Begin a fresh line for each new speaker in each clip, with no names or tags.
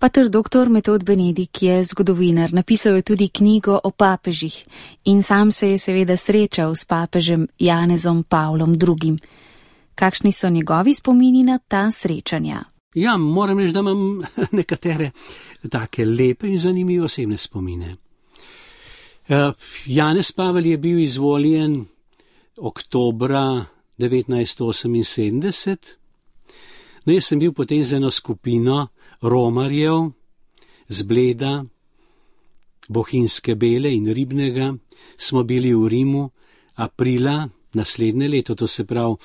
Pater dr. Metod Benedik je zgodovinar, napisal je tudi knjigo o papežih in sam se je seveda srečal s papežem Janezom Pavlom II. Kakšni so njegovi spomini na ta srečanja?
Ja, moram reči, da imam nekatere take lepe in zanimive osebne spomine. Janez Pavel je bil izvoljen oktobra 1978. No, jaz sem bil potem z eno skupino romarjev z Bleda, Bohinjske Bele in Ribnega, smo bili v Rimu aprila naslednje leto, to se pravi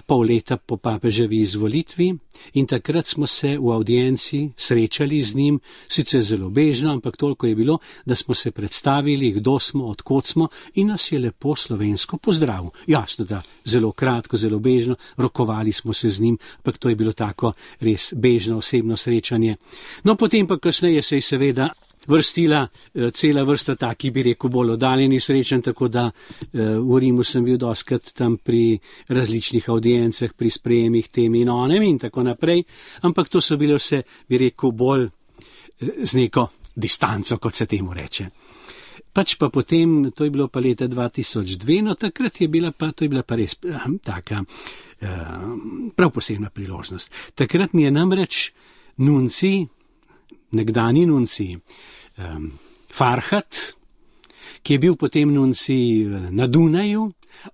pol leta po papeževi izvolitvi, in takrat smo se v avdienci srečali z njim, sicer zelo bežno, ampak toliko je bilo, da smo se predstavili, kdo smo, odkot smo, in nas je lepo slovensko pozdravil. Jasno, da zelo kratko, zelo bežno, rokovali smo se z njim, ampak to je bilo tako res bežno osebno srečanje. No, potem pa kasneje se je seveda vrstila cela vrsta takih, bi rekel, bolj oddaljenih srečanj, tako da v Rimu sem bil dostikrat tam pri različnih audiencah, pri sprejemih tem in onem in tako naprej, ampak to so bile vse, bi rekel, bolj z neko distanco, kot se temu reče. Pač pa potem, to je bilo pa leta 2002, no takrat je bila pa res taka prav posebna priložnost. Takrat mi je namreč nunci, nekdani nunci, Farhat, ki je bil potem nunci na Dunaju,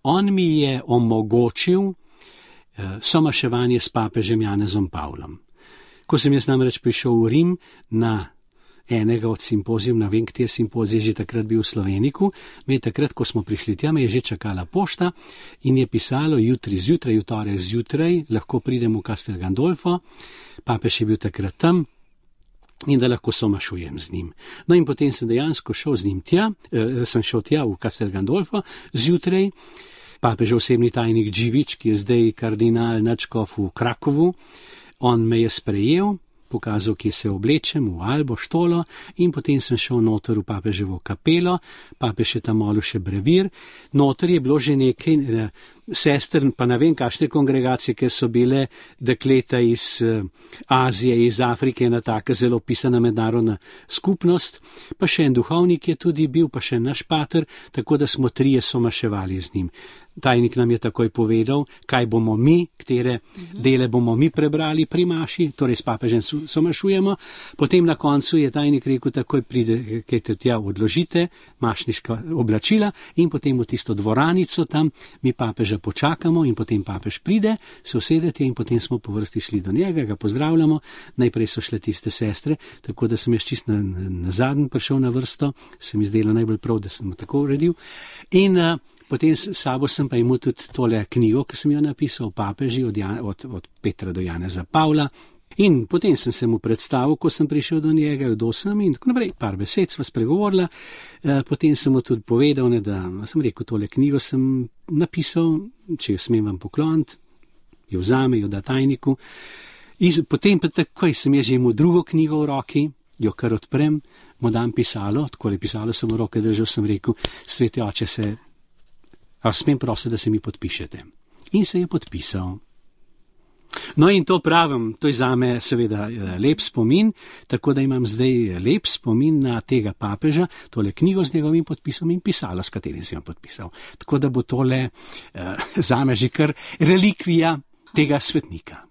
on mi je omogočil somaševanje s papežem Janezom Pavlom. Ko sem jaz namreč prišel v Rim na enega od simpozijum, na vem, kateri simpozij je že takrat bil v Sloveniku, me je takrat, ko smo prišli tja, me je že čakala pošta in je pisalo jutri zjutraj, v torek zjutraj, lahko pridem v Castel Gandolfo, papež je bil takrat tam, in da lahko somašujem z njim. No in potem sem dejansko šel z njim tja, sem šel tja v Castel Gandolfo zjutraj, papežev osebni tajnik Dživič, ki je zdaj kardinal nadškof v Krakovu, on me je sprejel, pokazal, kje se oblečem, v albo, štolo, in potem sem šel noter v papeževo kapelo, papež je tam molil še brevir, noter je bilo že nekaj sester, pa ne vem kakšne kongregacije, ker so bile dekleta iz Azije, iz Afrike, ena taka zelo pisana mednarodna skupnost, pa še en duhovnik je tudi bil, pa še naš pater, tako da smo trije somaševali z njim. Tajnik nam je takoj povedal, kaj bomo mi, katere dele bomo mi prebrali pri maši, torej s papežem somašujemo. Potem na koncu je tajnik rekel, takoj pride, kaj te tja odložite, mašniška oblačila, in potem v tisto dvoranico tam mi papeža počakamo in potem papež pride, se usedete in potem smo po vrsti šli do njega, ga pozdravljamo. Najprej so šle tiste sestre, tako da sem jaz čist na zadnji prišel na vrsto, se mi zdelo najbolj prav, da sem tako uredil. In potem s sabo sem pa imel tudi tole knjigo, ki sem jo napisal o papeži od Petra do Janeza Pavla. In potem sem se mu predstavil, ko sem prišel do njega, kdo sem in tako naprej, par besed sva spregovorila. Potem sem mu tudi povedal, da sem rekel, tole knjigo sem napisal, če jo smem vam pokloniti, jo vzame, jo da tajniku. In potem pa takoj sem jaz že imel drugo knjigo v roki, jo kar odprem, mu dam pisalo, tako je pisalo, sem v roke držal, sem rekel, sveti oče, smem prositi, da se mi podpišete. In se je podpisal. No in to pravim, to je zame seveda lep spomin, tako da imam zdaj lep spomin na tega papeža, tole knjigo z njegovim podpisom in pisalo, s katerim sem jo podpisal. Tako da bo tole zame že kar relikvija tega svetnika.